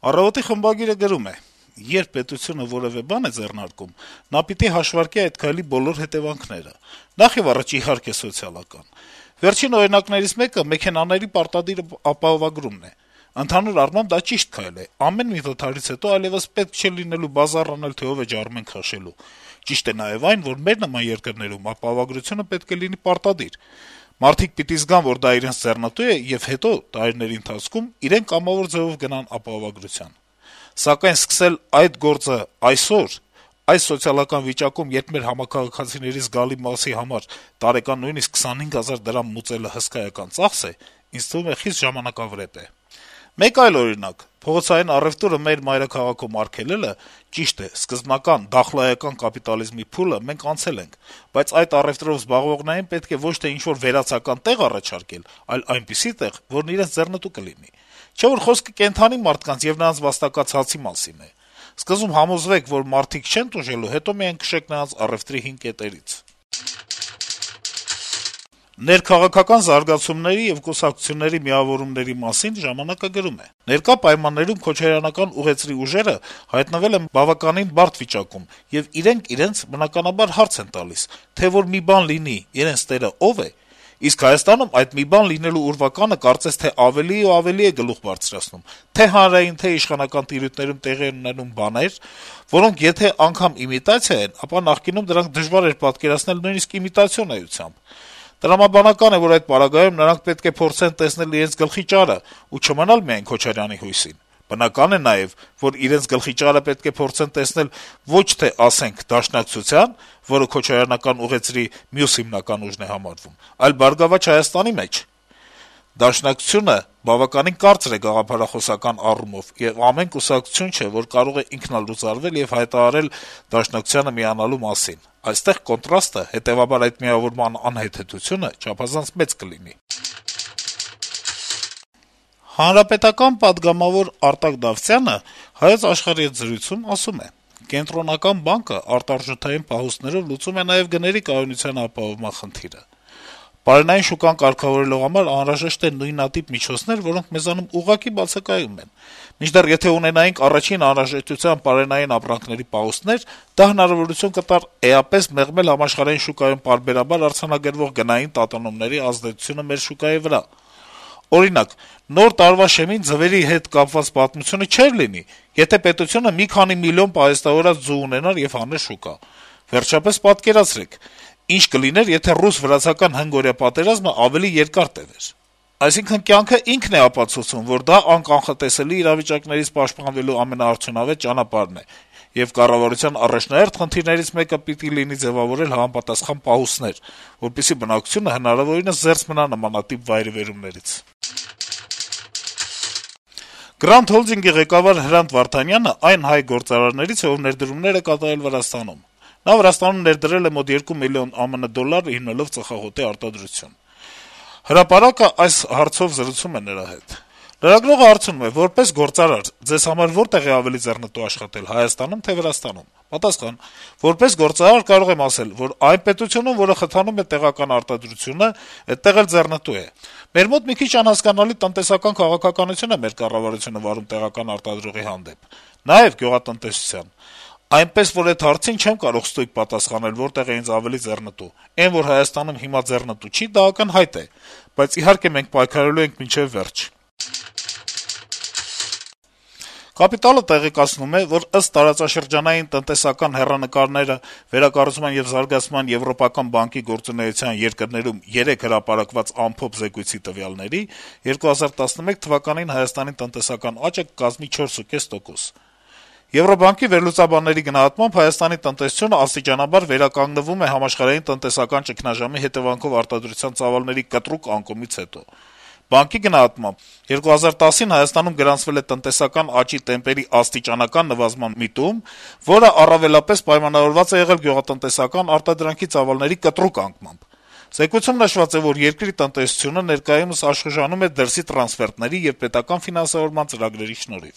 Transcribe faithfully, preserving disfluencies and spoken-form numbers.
Առավոտի խմբագիրը գրում է. - «Երբ պետությունը որեւէ բան է ձեռնարկում, նա պիտի հաշվարկի այդ քայլի բոլոր հետեւանքները: Նախ եւ առաջ, իհարկե, սոցիալական: Վերջին օրինակներից մեկը մեքենաների պարտադիր ապահովագրումն է: Ընդհանուր առմամբ դա ճիշտ քայլ է: Ամեն մի վթարից հետո այլեւս պետք չէ լինելու բազար անել, թե ով է ջարմեն քաշելու: Ճիշտ է նաեւ այն, որ մեր նման երկրներում ապահովագրությունը պետք է լինի պարտադիր: Մարդիկ պիտի զգան, որ դա իրենց ձեռնտու է, եւ հետո, տարիների ընթացքում, իրենք կամավոր ձեւով գնան ապահովագրության: Սակայն սկսել այդ գործը այսօր, այս սոցիալական վիճակում, երբ մեր համաքաղաքացիների զգալի մասի համար տարեկան նույնիսկ քսանհինգ հազար դրամ մուծելը հսկայական ծախս է, ինձ թվում է խիստ ժամանակավրեպ է: Մեկ այլ օրինակ. փողոցային առեւտուրը մեր մայրաքաղաքում արգելելը, ճիշտ է, սկզբնական դախլայական կապիտալիզմի փուլը մենք անցել ենք, բայց այդ առեւտրով զբաղվողներին պետք է ոչ թե ինչ-որ վերացական տեղ առաջարկել, այլ այնպիսի տեղ, որն իրենց ձեռնտու կլինի: Չէ՞ որ խոսքը կենդանի մարդկանց եւ նրանց վաստակած հացի մասին է: Սկզբում համոզվեք, որ մարդիկ չեն տուժելու, հետո միայն քշեք նրանց առեւտրի հին կետերից»: Ներքաղաքական զարգացումների եւ կուսակցությունների միավորումների մասին «Ժամանակ»-ը գրում է. - «Ներկա պայմաններում քոչարյանական ուղեծրի ուժերը հայտնվել են բավականին բարդ վիճակում, եւ իրենք իրենց, բնականաբար, հարց են տալիս, թե որ մի բան լինի, իրենց տերը ո՞վ է: Իսկ Հայաստանում այդ մի բան լինելու ուրվականը կարծես թե ավելի ու ավելի է գլուխ բարձրացնում: Թե' հանրային, թե' իշխանական տիրույթներում տեղի են ունենում բաներ, որոնք եթե անգամ իմիտացիա են, ապա նախկինում դրանք դժվար էր պատկերացնել նույնիսկ իմիտացիոն էությամբ: Տրամաբանական է, որ այդ պարագայում նրանք պետք է փորձեն տեսնել իրենց գլխի ճարը ու չմնալ միայն Քոչարյանի հույսին: Բնական է նաեւ, որ իրենց գլխի ճարը պետք է փորձեն տեսնել ոչ թե, ասենք, Դաշնակցության, որը քոչարյանական ուղեծրի մյուս հիմնական ուժն է համարվում, այլ «Բարգավաճ Հայաստանի» մեջ: Դաշնակցությունը բավականին կարծր է գաղափարախոսական առումով, եւ ամեն կուսակցություն չէ, որ կարող է ինքնալուծարվել եւ հայտարարել Դաշնակցությանը միանալու մասին: Այստեղ կոնտրաստը, հետեւաբար այդ միավորման անհեթեթությունը չափազանց մեծ կլինի»: Հանրապետական պատգամավոր Արտակ Դավթյանը «Հայոց Աշխարհ»-ի հետ զրույցում ասում է. - «Կենտրոնական բանկը արտարժութային պահուստներով լուծում է նաեւ գների կայունության ապահովման խնդիրը: Բարենային շուկան կարգավորելու համար անհրաժեշտ են նույնատիպ միջոցներ, որոնք մեզանում ուղղակի բացակայում են: Մինչդեռ եթե ունենայինք առաջին անհրաժեշտության պարենային ապրանքների պահուստներ, դա հնարավորություն կտար էապես մեղմել համաշխարհային շուկայում պարբերաբար արձանագրվող գնային տատանումների ազդեցությունը մեր շուկայի վրա: Օրինակ, Նոր տարվա շեմին ձվերի հետ կապված պատմությունը չէր լինի, եթե պետությունը մի քանի միլիոն պահեստավորած ձու ունենար եւ հաներ շուկա: Վերջապես պատկերացրեք, ինչ կլիներ, եթե ռուս-վրացական հնգօրյա պատերազմը ավելի երկար տեւեր: Այսինքն` կյանքը ինքն է ապացուցում, որ դա անկանխատեսելի իրավիճակներից պաշտպանվելու ամենաարդյունավետ ճանապարհն է, եւ կառավարության առաջնահերթ խնդիրներից մեկը պիտի լինի ձեւավորել համապատասխան պահուստներ, որպեսզի բնակչությունը հնարավորինս զերծ մնա նմանատիպ վայրիվերումներից»: Grant Holding-ի ղեկավար Հրանտ Վարդանյանը այն հայ գործարարներից է, ով ներդրումներ է կատարել Վրաստանում: Նա Վրաստանում ներդրել է մոտ երկու միլիոն ԱՄՆ դոլար` հիմնելով ծխախոտի արտադրություն: «Հրապարակ»-ը այս հարցով զրուցում է նրա հետ: Լրագրողը հարցնում է. - «Որպես գործարար, ձեզ համար որտեղ է ավելի ձեռնտու աշխատել` Հայաստանո՞ւմ, թե Վրաստանում»: Պատասխան. - «Որպես գործարար կարող եմ ասել, որ այն պետությունում, որը խթանում է տեղական արտադրությունը, այդտեղ էլ ձեռնտու է: Մեր մոտ մի քիչ անհասկանալի տնտեսական քաղաքականություն է մեր կառավարությունը վարում տեղական արտադրողի հանդեպ, նաեւ գյուղատնտեսության: Այնպես որ էդ հարցին չեմ կարող ստույգ պատասխանել` որտեղ է ինձ ավելի ձեռնտու: Էն, որ Հայաստանում հիմա ձեռնտու չի, դա ակնհայտ է, բայց իհարկե մենք պայքարելու ենք մինչեւ վերջ»: «Կապիտալ»-ը տեղեկացնում է, որ ըստ տարածաշրջանային տնտեսական հեռանկարները վերակառուցման եւ զարգացման եվրոպական բանկի գործունեության երկրներում երեկ հրապարակված ամփոփ զեկույցի տվյալների, երկու հազար տասնմեկ թվականին Հայաստանի տնտեսական աճը կկազմի չորս ու կես տոկոս: Եվրոբանկի վերլուծաբանների գնահատմամբ Հայաստանի տնտեսությունը աստիճանաբար վերականգնվում է համաշխարհային տնտեսական ճգնաժամի հետեւանքով արտադրության ծավալների կտրուկ անկումից հետո: Բանկի գնահատմամբ, երկու հազար տասին Հայաստանում գրանցվել է տնտեսական աճի տեմպերի աստիճանական նվազման միտում, որը առավելապես պայմանավորված է եղել գյուղատնտեսական արտադրանքի ծավալների կտրուկ անկմամբ: Զեկույցում նշված է, որ երկրի տնտեսությունը ներկայումս աշխուժանում է դրսի տրանսֆերտների եւ պետական ֆինանսավորման ծրագրերի շնորհիվ»: